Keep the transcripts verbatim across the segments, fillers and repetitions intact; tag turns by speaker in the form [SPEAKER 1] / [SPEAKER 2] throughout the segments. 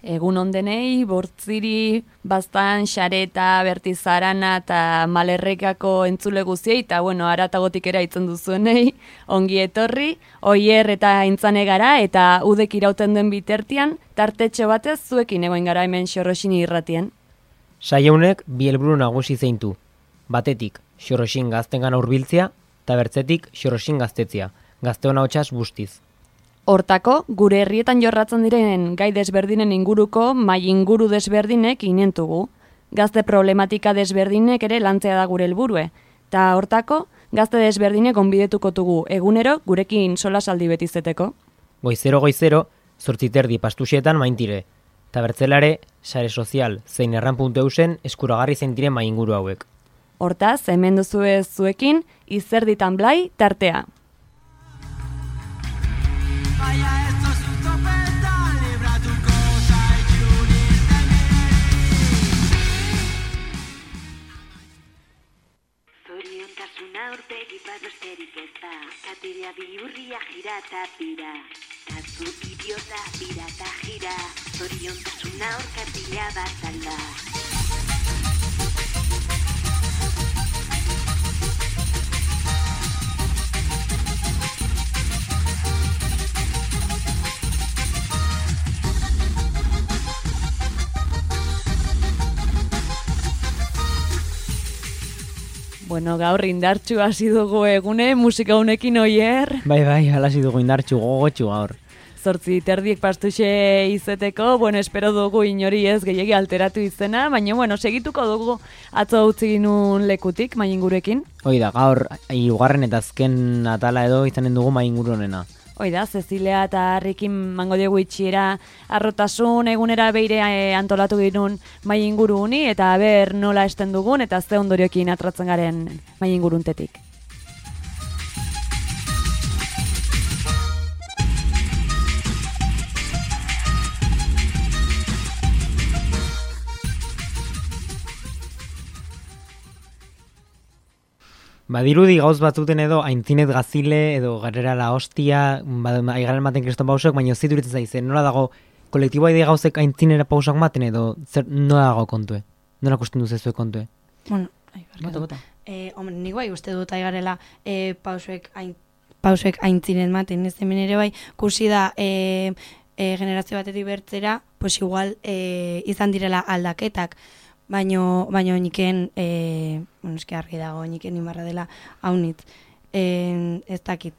[SPEAKER 1] Egun ondenei, bortziri, bastan, xareta, bertizarana eta malerrekako entzule guziei, eta bueno, aratagotik era itzen duzuenei, ongi etorri, oier eta intzane gara, eta udek irauten den bitartean, tartetxo batez zuekin egoin gara hemen Xorroxini irratien.
[SPEAKER 2] Saieunek bi helburu nagusi zeintu. Batetik, Xorroxin gaztengana hurbiltzea, eta bertzetik Xorroxin gaztetzea, gazteon ahotsaz bustiz.
[SPEAKER 1] Hortako, gure herrietan jorratzen diren gai desberdinen inguruko mai inguru desberdinek inentugu. Gazte problematika desberdinek ere lantzea da gure helburue. Ta hortako, gazte desberdinek onbidetuko dugu egunero gurekin solasaldi betizeteko.
[SPEAKER 2] Goizero goizero, zortziterdi pastuxetan maintire. Ta bertzelare, sare sozial zein erran puntu eusen eskuragarri zeintire mai inguru hauek.
[SPEAKER 1] Hortaz, hemen duzue zuekin, izerditan blai tartea.
[SPEAKER 3] Vaya, esto es un topeta, libra tu cosa y unirte a mí.
[SPEAKER 4] Zoriontasuna aurpegi bat besterik ez da, katiria bihurria jira eta pira. Tazu idiota, bira eta jira, zoriontasuna aurkatila bat alda.
[SPEAKER 1] Bueno, gaur indartxu hasi dugu egune, musika honekin oier.
[SPEAKER 2] Bai, bai, alasi dugu indartxu, gogotxu gaur.
[SPEAKER 1] Zortzi terdiek pastuxe izeteko, bueno, espero dugu inori ez gehiegi alteratu izena, baina, bueno, segituko dugu atzo utzi ginun lekutik, maingurekin.
[SPEAKER 2] Hoi da, gaur, hirugarren eta azken atala edo izanen dugu mainguru honena.
[SPEAKER 1] Hoi da, Cecilia eta Harrikin mango diegu itxiera arrotasun egunera beire e, antolatu ginun mai inguru huni, eta ber nola esten dugun, eta ze ondoriokin atratzen garen mai inguruntetik.
[SPEAKER 2] Badirudi gauz batzuten edo aintzinet gazile edo garrera la hostia, aigaren maten kriston pausok, baina zituritzen zaizen, nola dago kolektiboa ide gauzek aintzinera pausak maten edo zer, nola dago kontue? Nola kusten duzezue kontue?
[SPEAKER 5] Bueno, ai,
[SPEAKER 6] Bota, bota.
[SPEAKER 5] Eh, hombre, nik bai uste dut aigarela eh, pausuek, ain, pausuek aintzinen maten, ez hemen ere bai, kursi da eh, eh, generazio batetik bertzera, pues igual eh, izan direla aldaketak, baino, baino niken, eh, bueno, eski argi dago, niken imarra dela haunitz, eh, ez dakit.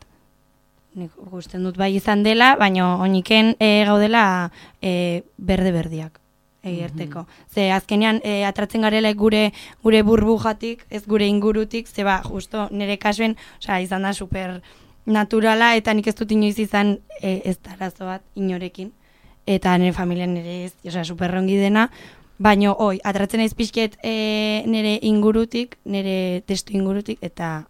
[SPEAKER 5] Nik gusten dut bai izan dela, baino oniken eh, gaudela eh, berde-berdiak. Egerteko. Ze azkenean e, atratzen garela gure gure burbujatik, ez gure ingurutik, ze ba, justo nire kasuen, osea, izan da super naturala, eta nik ez dut inoiz izan e, ez da arazo bat inorekin, eta nire familian nire ez, osea, superrongi dena, baino, oi, atratzen naiz pixket e, nire ingurutik, nire testu ingurutik, eta,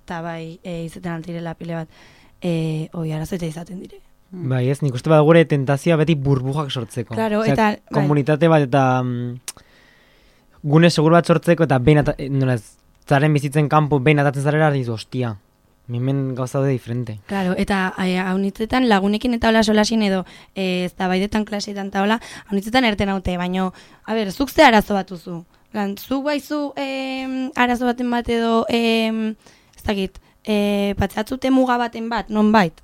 [SPEAKER 5] eta bai, e, izaten altirela pile bat, e, oi, arazo eta izaten dire.
[SPEAKER 2] Bai, ez, nik uste bat gure tentazioa beti burbujak sortzeko.
[SPEAKER 5] Claro,
[SPEAKER 2] Osea,
[SPEAKER 5] eta...
[SPEAKER 2] komunitate bat eta mm, gune segur bat sortzeko eta behin ata, nola ez, zaren bizitzen kanpo behin atatzen zarela dizu, ostia, mimen gauza daude diferente.
[SPEAKER 5] Claro, eta haunitzetan lagunekin eta hola solasin edo e, ez da baidetan klaseetan eta hola, haunitzetan erten haute, baino, a ber, zuk ze arazo bat duzu? Lan, zuk baizu e, arazo baten bat edo, e, ez dakit, e, patzatzute muga baten bat, non bait?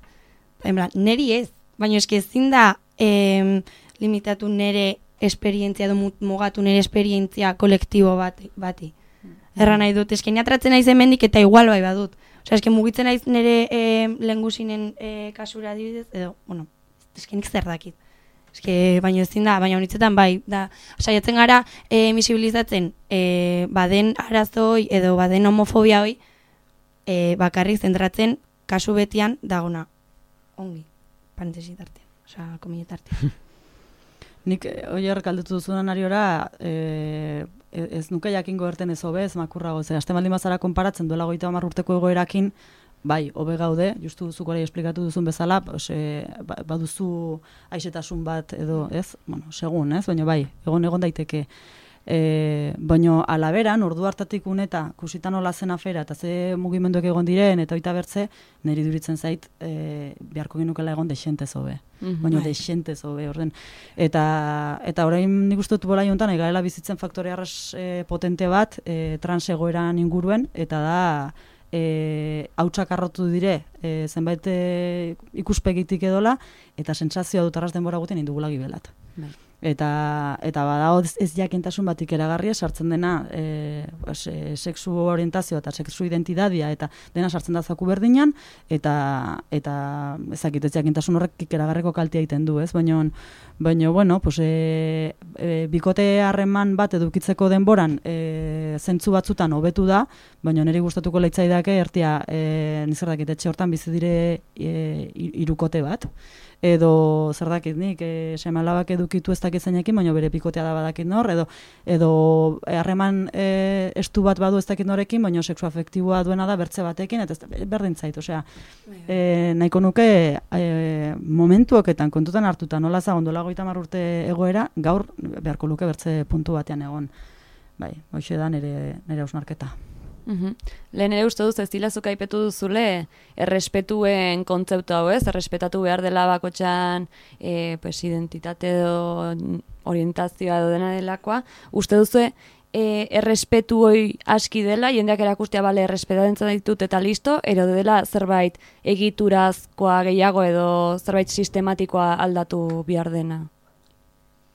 [SPEAKER 5] Neri ez, baina eski ezin da eh, limitatu nire esperientzia edo mugatu nire esperientzia kolektibo bat, bati. Erra nahi dut, eski atratzen naiz hemendik eta igual bai badut. Osea, eski mugitzen naiz nire eh, lehengusinen eh, kasura adibidez, edo, bueno, eski nik zer dakit. Eski, baina ezin da, baina honitzetan bai, da, saiatzen gara eh, misibilizatzen eh, baden arazoi edo baden homofobia hoi, eh, bakarrik zentratzen kasu betian dagona. Ongi, parentesi tartean, osea, komile tartean.
[SPEAKER 6] Nik oier galdetu duzunan ariora, e, ez nuke jakingo erten ez hobe, ez makurrago, ze hasten baldin bazara konparatzen duela goita hamar urteko egoerakin, bai, hobe gaude, justu zuk hori esplikatu duzun bezala, ose, baduzu aixetasun bat edo, ez? Bueno, segun, ez? Baina bai, egon egon daiteke. E, baino alaberan, ordu hartatik uneta, kusita nola zen afera, eta ze mugimenduek egon diren, eta oita bertze, niri duritzen zait, e, beharko genukela egon desentez hobe.
[SPEAKER 1] Mhm.
[SPEAKER 6] Baina desentez hobe, orden. Eta, eta orain nik uste dut bola jontan, egarela bizitzen faktore arras e, potente bat, e, trans egoeran inguruen, eta da, e, hautsak arrotu dire, e, zenbait e, ikuspegitik edola, eta sentsazioa dut arras denbora guten indugula gibelat.
[SPEAKER 1] Bai.
[SPEAKER 6] Eta, eta badago ez, ez jakintasun batik eragarria sartzen dena e, pues, e, sexu orientazioa eta sexu identidadia eta dena sartzen da zaku berdinan eta eta ezakit ez jakintasun horrek eragarriko kaltea egiten du, ez? Baina baina bueno, pues e, e, bikote harreman bat edukitzeko denboran e, zentzu batzutan hobetu da, baina niri gustatuko leitzaidake ertia e, zer dakit etxe hortan bizi dire e, hirukote bat. Edo zer dakit nik, e, seme-alabak edukitu ez dakit zeinekin, baina bere pikotea da badakit nor, edo edo harreman e, estu bat badu ez dakit norekin, baina sexu afektiboa duena da bertze batekin, eta ez berdin zait, osea, e, nahiko nuke e, momentuoketan kontutan hartuta nola zagon dola hogeita hamar urte egoera, gaur beharko luke bertze puntu batean egon. Bai, hoxe da nire, nire hausnarketa.
[SPEAKER 1] Mhm. Lehen ere uste duz ez dilazuk aipetu duzule errespetuen kontzeptu hau, ez? Errespetatu behar dela bakotxan e, pues, identitate edo orientazioa edo dena delakoa. Uste duzu e, errespetu hoi aski dela, jendeak erakustea bale errespetatzen ditut eta listo, ero dela zerbait egiturazkoa gehiago edo zerbait sistematikoa aldatu behar dena?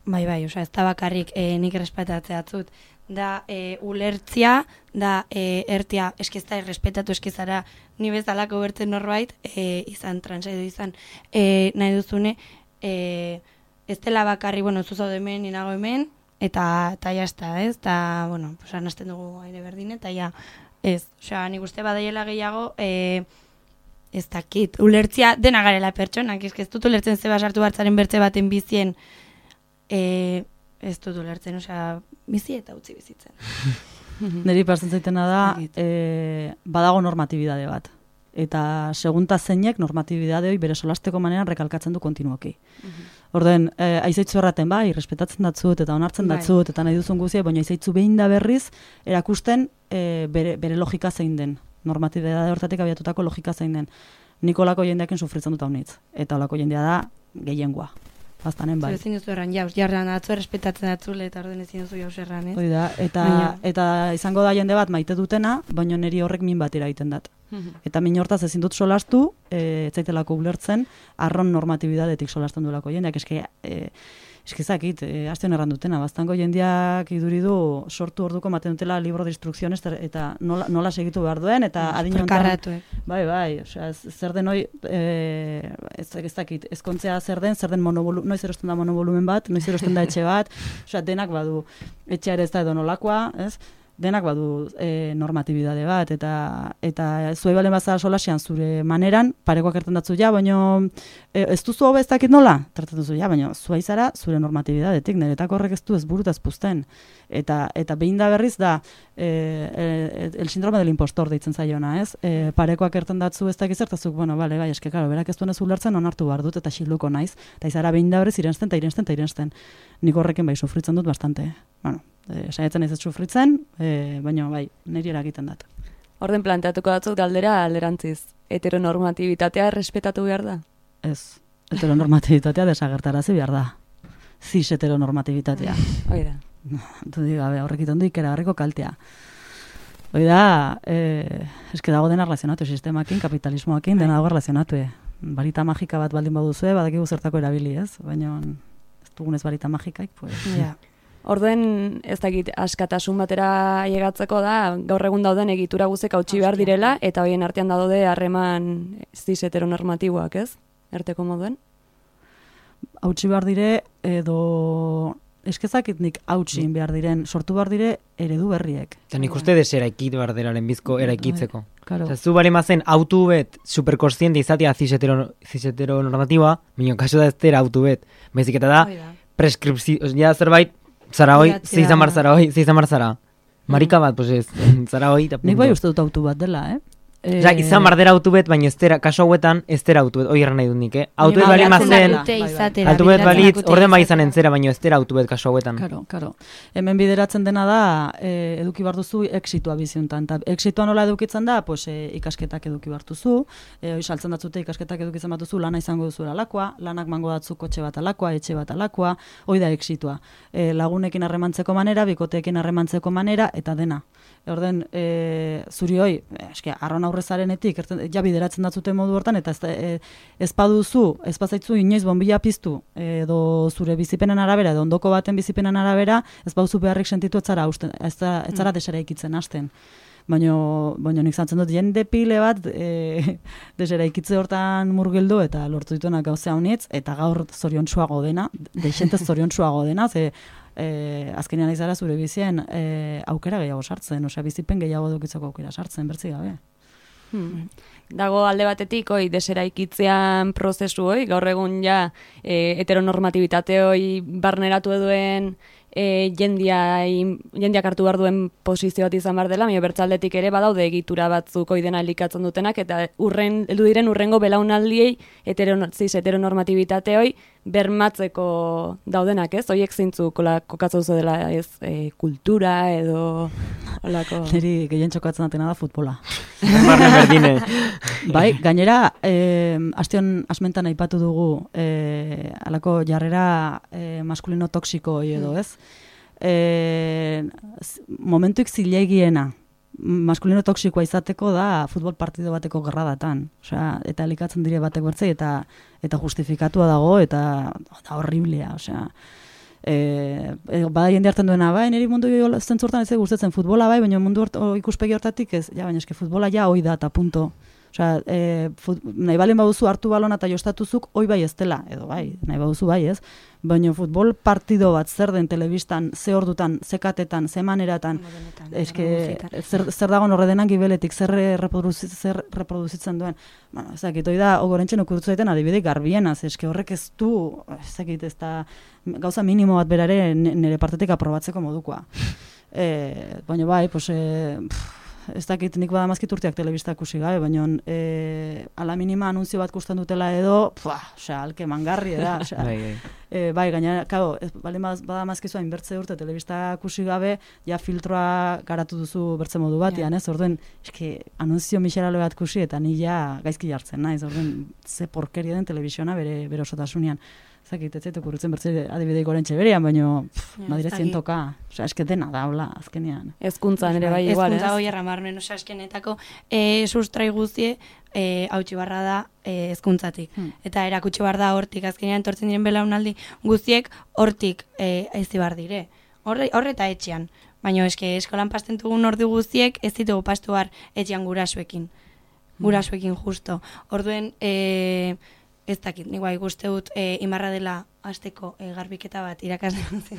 [SPEAKER 5] Bai, bai, osea, ez da bakarrik e, nik errespetatzea atzut. Da e, ulertzia, da e, ertia eskizta errespetatu eskizara ni bezalako bertzen norbait, e, izan trans edo izan e, nahi duzune, e, ez dela bakarri, bueno, zuzaude hemen, ninago hemen, eta eta jazta, ez? Eta, bueno, pues, anasten dugu aire berdin, eta ja, ez. Osea, nik uste badaiela gehiago, e, ez dakit, ulertzia dena garela pertsonak, ez ez dut ulertzen zeba sartu hartzaren bertze baten bizien, e, ez dut ulertzen, osea, bizi eta utzi bizitzen.
[SPEAKER 6] Neri partzen zaitena da, e, badago normatibidade bat. Eta segunta zeinek normatibidade hori bere solasteko maneran rekalkatzen du kontinuoki. Orden, e, aizaitzu erraten bai, respetatzen datzut eta onartzen
[SPEAKER 5] Bai.
[SPEAKER 6] datzut eta nahi duzun guzia, baina aizaitzu behin da berriz erakusten e, bere, bere logika zein den. Normatibidade hortatik abiatutako logika zein den. Nik olako jendeakin sufritzen dut haunitz. Eta olako jendea da gehiengoa. Bastanen bai.
[SPEAKER 5] Bai. Ezin duzu erran, jauz, jarran atzo errespetatzen datzule, eta orden ezin duzu jauz erran, ez?
[SPEAKER 6] Hoi da, eta,
[SPEAKER 5] Baina-
[SPEAKER 6] eta izango da jende bat maite dutena, baina niri horrek min bat eragiten dat. Eta min hortaz ezin dut solastu, e, ez zaitelako ulertzen, arron normatibidadetik solasten duelako jendeak, eske, e, eskizakit, e, azten erran dutena, baztango jendeak iduridu sortu orduko maten dutela libro de instrucciones eta nola, nola segitu behar duen, eta adin honetan-
[SPEAKER 5] Karratuek.
[SPEAKER 6] Bai, bai, osea, ez- zer den hoi, e, ez, ez dakit, ezkontzea zer den, zer den monobolu, noiz erosten da monovolumen bat, noiz erosten da etxe bat, osea, denak badu, etxea ere ez da edo nolakoa, ez? Denak badu e, normatibidade bat, eta eta zuei balen bazara solasian zure maneran, parekoak erten datzu ja, baina e, ez duzu hobe ez dakit nola, tratatu zu ja, baina zuei zara zure normatibidadetik, niretako horrek ez du ez burutaz puzten. Eta, eta behin da berriz da, e, e, el síndrome del impostor deitzen zaiona, ez? E, parekoak erten datzu ez dakit zertazuk, bueno, bale, bai, eske, karo, berak ez duenez ulertzen onartu behar dut, eta xiluko naiz, eta izara behin da berriz irensten, eta irensten, eta irensten. Nik horrekin bai sufritzen dut bastante. Bueno, e, saiatzen ez ez sufritzen, e, baina bai, niri eragiten dat.
[SPEAKER 1] Orden planteatuko datzut galdera alderantziz. Heteronormatibitatea respetatu behar da?
[SPEAKER 6] Ez, heteronormatibitatea desagertarazi behar da. Cis heteronormatibitatea.
[SPEAKER 1] Hoi da.
[SPEAKER 6] Du gabe, horrek iten du ikeragarriko kaltea. Hoi da, e, eske dago dena relazionatu sistemakin, kapitalismoakin, dena dago relazionatu. Barita magika bat baldin baduzue, badakigu zertako erabili, ez? Baina ez dugunez barita magikaik, pues...
[SPEAKER 5] Ja.
[SPEAKER 1] Orden, ez dakit, askatasun batera llegatzeko da, gaur egun dauden egitura guzek hautsi behar
[SPEAKER 5] Hostia.
[SPEAKER 1] direla, eta hoien artean daude harreman cis heteronormatiboak, ez? Erteko moduen?
[SPEAKER 6] Hautsi behar dire, edo... Eskezakit nik hautsi behar diren, sortu behar dire eredu berriek.
[SPEAKER 2] Eta nik uste des eraikit behar dela lehenbizko eraikitzeko.
[SPEAKER 6] Claro.
[SPEAKER 2] Eta zu bale mazen autu bet superkonstiente izatea cis-heteronormatiboa, minio kaso da ez dira autu bet. Bezik eta da,
[SPEAKER 5] Hoi da.
[SPEAKER 2] preskripzio, ja zerbait, zara hoi,
[SPEAKER 5] Idatzia.
[SPEAKER 2] zeizan bar zara hoi, zeizan bar zara. Marika bat, pues ez, zara hoi, eta punto.
[SPEAKER 6] Nik bai uste dut autu bat dela, eh? Eh,
[SPEAKER 2] Osa, izan bardera autobet, baina ez dera, kaso hauetan ez dera autobet, hori erran nahi dut nik, eh? Autobet bali
[SPEAKER 5] Bideratzen
[SPEAKER 2] mazen,
[SPEAKER 5] dakute
[SPEAKER 6] bai, bai.
[SPEAKER 5] izatera,
[SPEAKER 2] autobet
[SPEAKER 5] bideratzen
[SPEAKER 2] balitz,
[SPEAKER 5] dakute
[SPEAKER 2] orden bai
[SPEAKER 5] izatera.
[SPEAKER 2] izan entzera, baina ez dera autobet kaso hauetan.
[SPEAKER 6] Karo, karo. Hemen bideratzen dena da, eh, eduki behar duzu exitua biziuntan. Ta exitua nola edukitzen da, pues, eh, ikasketak eduki behar duzu, eh, saltzen datzute ikasketak edukitzen bat duzu, lana izango duzu alakoa, lanak mango datzu kotxe bat alakoa, etxe bat alakoa, hoi da exitua. Eh, lagunekin harremantzeko manera, bikoteekin harremantzeko manera, eta dena. Orden, e, zuri hoi, eske, arron aurrezarenetik, erten, ja bideratzen datzute modu hortan, eta ez, e, ez baduzu, ez bazaitzu inoiz bonbila piztu, edo zure bizipenen arabera, edo ondoko baten bizipenen arabera, ez baduzu beharrik sentitu ez zara, usten, ez zara, ez zara desera ikitzen hasten. Baina, baina nik zantzen dut, jende pile bat e, desera ikitze hortan murgildu, eta lortu dituenak gauzea honitz, eta gaur zoriontsuago dena, deixente zoriontsuago dena, ze E, azkenean izara zure bizien e, aukera gehiago sartzen, osea bizipen gehiago dukitzeko aukera sartzen, bertzi gabe.
[SPEAKER 1] Hmm. Dago alde batetik, oi, deseraikitzean prozesu, oi, gaur egun ja e, heteronormatibitate hoi barneratu duen e, jendia, jendiak hartu behar duen posizio bat izan behar dela, baina bertzaldetik ere badaude egitura batzuk oi dena elikatzen dutenak, eta urren, heldu diren urrengo belaunaldiei heteron, ziz, heteronormatibitate hoi bermatzeko daudenak, ez? Hoiek zeintzuk kokatzen duzu dela, ez, e, kultura edo holako.
[SPEAKER 6] Neri gehien txokatzen datena da futbola.
[SPEAKER 2] Barne berdine.
[SPEAKER 6] Bai, gainera, eh, astion asmentan aipatu dugu eh, alako jarrera eh, maskulino toksiko hori edo, ez? Eh, momentuik zilegiena maskulino toksikoa izateko da futbol partido bateko gerradatan. Osea, eta elikatzen dire batek bertzei eta eta justifikatua dago eta da horriblea, osea. Eh, bada jende hartzen duena, bai, niri mundu zentzurtan ez gustatzen futbola bai, baina mundu hort, o, ikuspegi hortatik ez, ja, baina eske futbola ja hoi da eta punto. Osea, e, fut, nahi balen baduzu hartu balona eta jostatuzuk, hoi bai ez dela, edo bai, nahi baduzu bai ez, baina futbol partido bat zer den telebistan, ze ordutan, ze katetan, ze maneratan, eske, zer, zer dagoen horre denan gibeletik, zer, reproduzi, zer reproduzitzen duen. Bueno, ezakit, hoi da, ogorentzen okurtu zaiten adibidek garbienaz, eske horrek ez du, ezakit, ez da, gauza minimo bat berare nire partetik aprobatzeko modukoa. E, baina bai, pues, e, pff, ez dakit nik badamazkit urteak telebista ikusi gabe, baina e, ala minima anunzio bat kusten dutela edo, pua, osea, alke mangarri da, osea.
[SPEAKER 2] Bai, bai.
[SPEAKER 6] E, bai, gaina, kao, bale badamazkizu hain bertze urte telebista ikusi gabe, ja filtroa garatu duzu bertze modu batean, ez? Orduen, eske, anunzio miserale bat ikusi eta ni ja gaizki jartzen naiz, orduen, ze porkeria den telebisiona bere, bere osotasunean. Zakit, ez zaitu kurritzen bertze adibideik orentxe berean, baina madiretzen toka. Osea, eske dena da, hola, azkenean.
[SPEAKER 1] Ezkuntzan ere bai igual, ez?
[SPEAKER 5] Ezkuntza hoi erramarmen, osea, eskenetako e, sustrai guztie e, hautsi barra da e, ezkuntzatik. Hmm. Eta erakutsi bar da hortik, azkenean tortzen diren belaunaldi guztiek hortik e, ezi bar dire. Horre, horre eta etxean. Baina eske eskolan pasten dugun ordu guztiek ez ditugu pastu bar etxean gurasoekin. Gurasoekin justo. Orduen, e, ez dakit, nik bai guzti dut e, imarra dela hasteko e, garbiketa bat irakasle zen.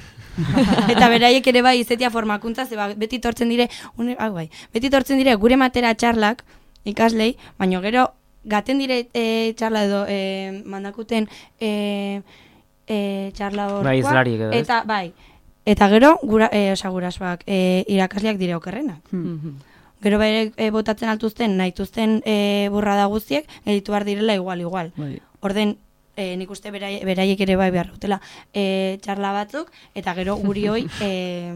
[SPEAKER 5] Eta beraiek ere bai izetia formakuntza, ze ba, beti tortzen dire, une, ah, bai, beti tortzen dire gure matera txarlak ikaslei, baina gero gaten dire e, txarla edo e, mandakuten e, e, txarla horkoa.
[SPEAKER 2] Bai, izlariek edo, ez?
[SPEAKER 5] Eta bai, eta gero gura, e, osa, gurasoak e, irakasleak dire okerrenak.
[SPEAKER 6] Hmm.
[SPEAKER 5] Gero bere e, botatzen altuzten, nahituzten e, burrada guztiek, editu behar direla igual, igual.
[SPEAKER 6] Bai.
[SPEAKER 5] Orden, e, nik uste berai, beraiek ere bai behar dutela e, txarla batzuk, eta gero guri hoi, e,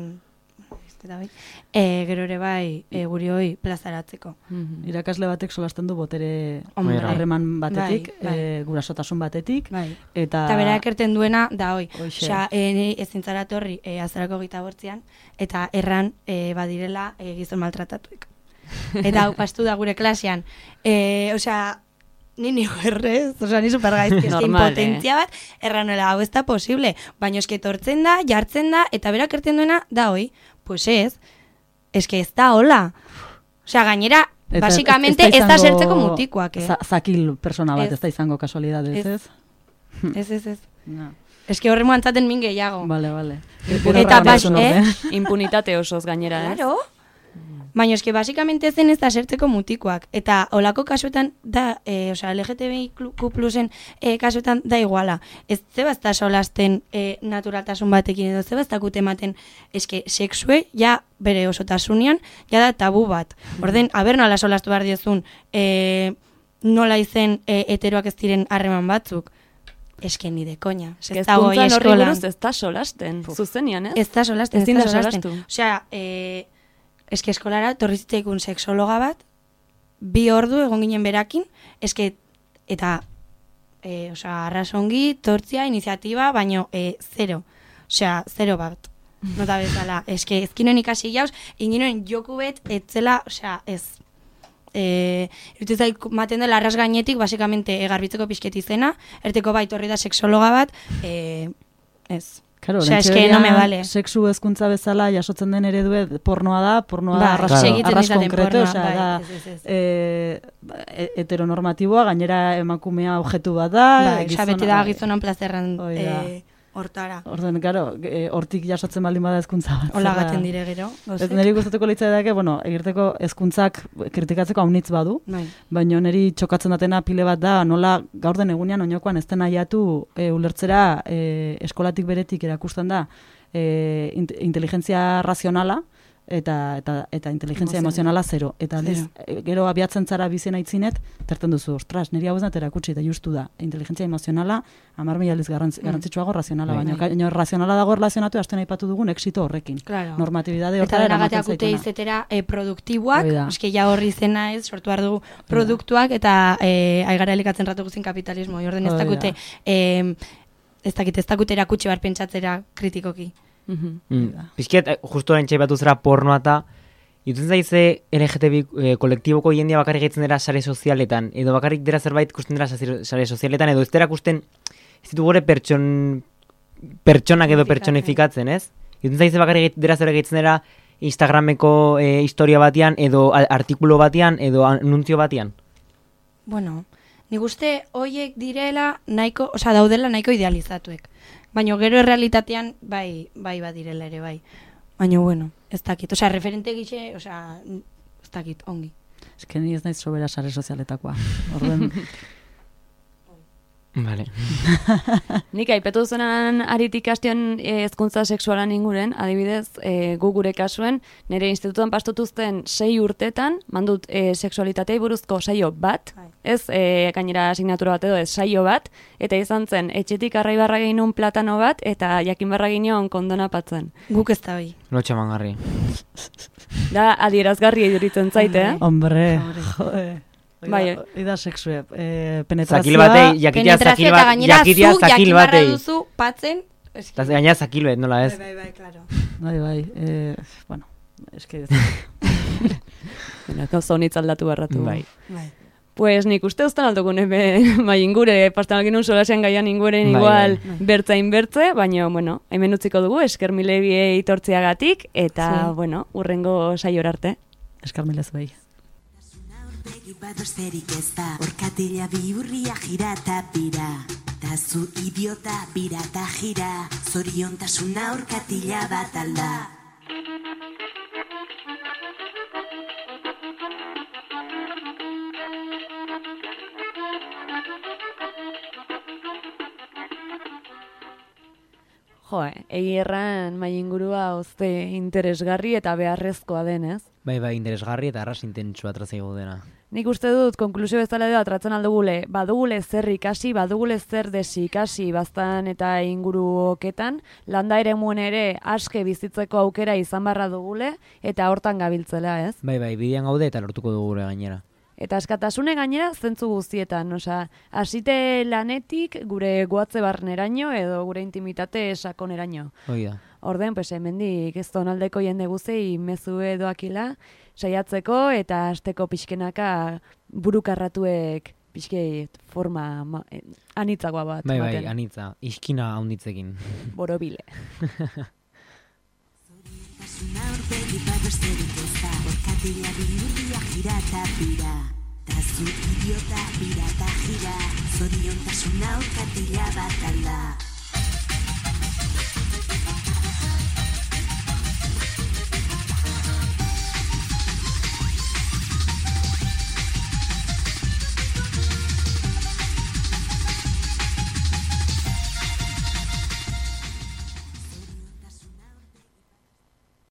[SPEAKER 5] bai, e, gero ere bai e, guri hoi plazaratzeko.
[SPEAKER 6] Mm-hmm. Irakasle batek solasten du botere
[SPEAKER 5] Hombre,
[SPEAKER 6] harreman batetik,
[SPEAKER 5] bai, bai.
[SPEAKER 6] E, gurasotasun batetik,
[SPEAKER 5] Bai.
[SPEAKER 6] eta...
[SPEAKER 5] Eta bera ekerten duena da hoi.
[SPEAKER 6] Hoxe.
[SPEAKER 5] Osea, e, niri ezin zara torri e, azarako gita bortzian, eta erran e, badirela e, gizon maltratatuek. Eta hau pastu da gure klasean. E, osea, ni ni errez, osea, ni supergaizki, eske
[SPEAKER 1] Normal,
[SPEAKER 5] impotentzia bat, erranuela, hau ez da posible. Baina eske tortzen da, jartzen da, eta berak erten duena da hoi. Pues ez, eske ez da hola. Osea, gainera,
[SPEAKER 6] Eta
[SPEAKER 5] basikamente ez da sertzeko mutikoak, eh?
[SPEAKER 6] za- Zakil persona bat,
[SPEAKER 5] Ez.
[SPEAKER 6] ez da izango kasualidadez,
[SPEAKER 5] Ez.
[SPEAKER 6] ez?
[SPEAKER 5] Ez, ez, ez.
[SPEAKER 6] No.
[SPEAKER 5] Eske horre muantzaten min gehiago.
[SPEAKER 6] Vale, vale.
[SPEAKER 5] Eta bas, eh?
[SPEAKER 1] Impunitate osoz gainera, ez?
[SPEAKER 5] Claro. Baina eske basikamente zen ez da sertzeko mutikoak. Eta olako kasuetan da, e, osea, L G T B I Q plusen e, kasuetan da iguala. Ez zebazta solasten e, naturaltasun batekin edo zebaztakut ematen eske sexue ja bere osotasunean ja da tabu bat. Orden, aber nola solastu behar diozun e, nola izen e, heteroak ez diren harreman batzuk. Eske ni de koña.
[SPEAKER 1] Ez dago horri buruz ez da solasten. Zuzenian, ez?
[SPEAKER 5] Ez da solasten, ez
[SPEAKER 1] Ezin
[SPEAKER 5] da
[SPEAKER 1] da
[SPEAKER 5] solasten.
[SPEAKER 1] solastu.
[SPEAKER 5] Osea, eh, eske eskolara torri zitzaikun sexologa bat, bi ordu egon ginen berakin, eske, eta, eh, osea, arrasongi, tortzia, iniziatiba, baino, eh, zero. Osea, zero bat. Nota bezala. Eske, ezkinoen ikasi jauz, inginoen joku bet, etzela, osea, ez. Eh, Irutuzaik maten dela arras gainetik, basikamente, egarbitzeko pixket izena, erteko bai torri da sexologa bat, eh, ez.
[SPEAKER 6] Claro,
[SPEAKER 5] Osea, eske no me vale.
[SPEAKER 6] Sexu hezkuntza bezala jasotzen den eredue pornoa da, pornoa da
[SPEAKER 5] Ba,
[SPEAKER 6] arras,
[SPEAKER 2] Claro.
[SPEAKER 5] segitzen
[SPEAKER 6] arras
[SPEAKER 5] izaten
[SPEAKER 6] konkreto,
[SPEAKER 5] pornoa,
[SPEAKER 6] osea,
[SPEAKER 5] bai,
[SPEAKER 6] da
[SPEAKER 5] ez, ez, ez.
[SPEAKER 6] eh, e- heteronormatiboa, gainera emakumea objektu bat da,
[SPEAKER 5] Bai, osea, beti da
[SPEAKER 6] bai.
[SPEAKER 5] gizonan plazerran
[SPEAKER 6] Hoi da.
[SPEAKER 5] eh, hortara.
[SPEAKER 6] Orden, claro, eh, hortik jasotzen baldin bada hezkuntza bat.
[SPEAKER 5] Hola
[SPEAKER 6] zer da?
[SPEAKER 5] gaten dire gero.
[SPEAKER 6] Ez
[SPEAKER 5] gauzek.
[SPEAKER 6] niri gustatuko litzaidake, bueno, egirteko hezkuntzak kritikatzeko haunitz badu,
[SPEAKER 5] Bai.
[SPEAKER 6] baina niri txokatzen datena pile bat da, nola gaur den egunean oinokoan ez den aiatu e, ulertzera e, eskolatik beretik erakusten da e, int, inteligentzia razionala eta eta eta inteligentzia emozionala zero. Eta aldiz, e, gero abiatzen zara bizen aitzinet, terten duzu, ostras, niri hau ez da erakutsi eta justu da. Inteligentzia emozionala hamar mila aldiz garrantz, garrantzitsuago razionala,
[SPEAKER 5] Bai,
[SPEAKER 6] baina
[SPEAKER 5] bai.
[SPEAKER 6] baina razionala dago erlazionatu asten aipatu dugun exito horrekin.
[SPEAKER 5] Claro.
[SPEAKER 6] Normatibidade
[SPEAKER 5] Eta
[SPEAKER 6] hortara eramaten
[SPEAKER 5] denagateak ute
[SPEAKER 6] zaituna.
[SPEAKER 5] izetera e, produktiboak,
[SPEAKER 6] Hori da.
[SPEAKER 5] eske ja horri izena ez, sortu behar dugu produktuak, eta e, aigara elikatzen ratu guzin kapitalismo. Orden ez
[SPEAKER 6] Hori da.
[SPEAKER 5] dakute, e, ez dakit, ez dakute erakutsi bar pentsatzera kritikoki.
[SPEAKER 1] Mhm.
[SPEAKER 2] Mm. Pizkiet, eh, justu orain txaipatu zera pornoa eta Irutzen zaize L G T B eh, kolektiboko jendia bakarrik gaitzen dira sare sozialetan, edo bakarrik dira zerbait ikusten dira sare sare sozialetan, edo ez dira ikusten ez ditu gore pertson, pertsonak edo pertsonifikatzen, ez? Irutzen zaize bakarrik dira zerbait gaitzen dira Instagrameko eh, historia batean, edo a- artikulu batean, edo anuntzio batean.
[SPEAKER 5] Bueno, nik uste hoiek direla nahiko, osea, daudela nahiko idealizatuek. Baina gero errealitatean bai, bai badirela ere bai. Baina bueno, ez dakit. Osea, referente gixe, osea, ez dakit, ongi.
[SPEAKER 6] Ez que ni ez naiz sobera sare sozialetakoa. Orden,
[SPEAKER 2] Vale.
[SPEAKER 1] Nik aipatu zuenan aritik hastion eh, hezkuntza sexualan inguren, adibidez, eh, gu gure kasuen, nire institutuan pastutuzten sei urtetan, mandut eh, sexualitatei buruzko saio bat,
[SPEAKER 5] Bai.
[SPEAKER 1] ez eh, gainera asignatura bat edo ez saio bat, eta izan zen, etxetik arraibarra ginun platano bat, eta jakin barra ginen kondona patzen.
[SPEAKER 5] Guk ez da bai.
[SPEAKER 2] Lotxa mangarri.
[SPEAKER 1] Da, adierazgarri iduritzen zaite, eh?
[SPEAKER 6] hombre, jode.
[SPEAKER 1] Bai.
[SPEAKER 6] Hoi da sexue, eh, penetrazioa.
[SPEAKER 2] Zakil batei, jakitea
[SPEAKER 5] Penetrazio
[SPEAKER 2] zakil
[SPEAKER 5] eta
[SPEAKER 2] bat,
[SPEAKER 5] gainera
[SPEAKER 2] jakitea
[SPEAKER 5] zu
[SPEAKER 2] zakil
[SPEAKER 5] jakin barra
[SPEAKER 2] batei.
[SPEAKER 5] duzu patzen. eski.
[SPEAKER 2] Eta gaina zakil bet, nola ez?
[SPEAKER 5] Bai, bai, bai, claro.
[SPEAKER 6] Bai, bai, eh, bueno, eske
[SPEAKER 1] Bueno, gauza honitz aldatu barratu.
[SPEAKER 2] Bai.
[SPEAKER 5] Bai.
[SPEAKER 1] Pues nik uste uzten aldokun ebe, bai ingure, pastan algin un solasean gaian inguren
[SPEAKER 2] Bai,
[SPEAKER 1] igual
[SPEAKER 2] bai.
[SPEAKER 1] bertzain bertze, baina, bueno, hemen utziko dugu, esker milebiei itortziagatik, eta,
[SPEAKER 5] Sí.
[SPEAKER 1] bueno, urrengo saior arte.
[SPEAKER 6] eskarmilez bai.
[SPEAKER 4] Begi bat besterik ez da, orkatila bihurria jira eta bira. Ta zu idiota bira eta jira, zoriontasuna orkatila bat alda.
[SPEAKER 1] Jo, egi erran mai ingurua ozte interesgarri eta beharrezkoa denez.
[SPEAKER 2] Bai, bai, interesgarri eta arras intentsua trazaigu dena.
[SPEAKER 1] Nik uste dut, konklusio bezala edo atratzen aldugule, badugule zer ikasi, badugule zer desi ikasi baztan eta inguru oketan, landa ere muen ere aske bizitzeko aukera izan barra dugule, eta hortan gabiltzela, ez?
[SPEAKER 2] Bai, bai, bidean gaude eta lortuko dugu gure gainera.
[SPEAKER 1] Eta askatasune gainera zentzu guztietan, osea, hasite lanetik gure goatze barneraino edo gure intimitate sakoneraino.
[SPEAKER 2] Hoi da.
[SPEAKER 1] Orden, pues hemendik ez zonaldeko jende guzei mezu edoakila saiatzeko eta asteko pixkenaka burukarratuek pixkeit forma ma, eh, anitzagoa bat.
[SPEAKER 2] Bai, bai,
[SPEAKER 1] ematen.
[SPEAKER 2] anitza, iskina haunditzekin.
[SPEAKER 1] Borobile.
[SPEAKER 4] Tasuna aurpegi bat besterik ez da, orkatila bihurria jira eta bira. Ta zu idiota bira eta jira, zoriontasuna orkatila bat alda.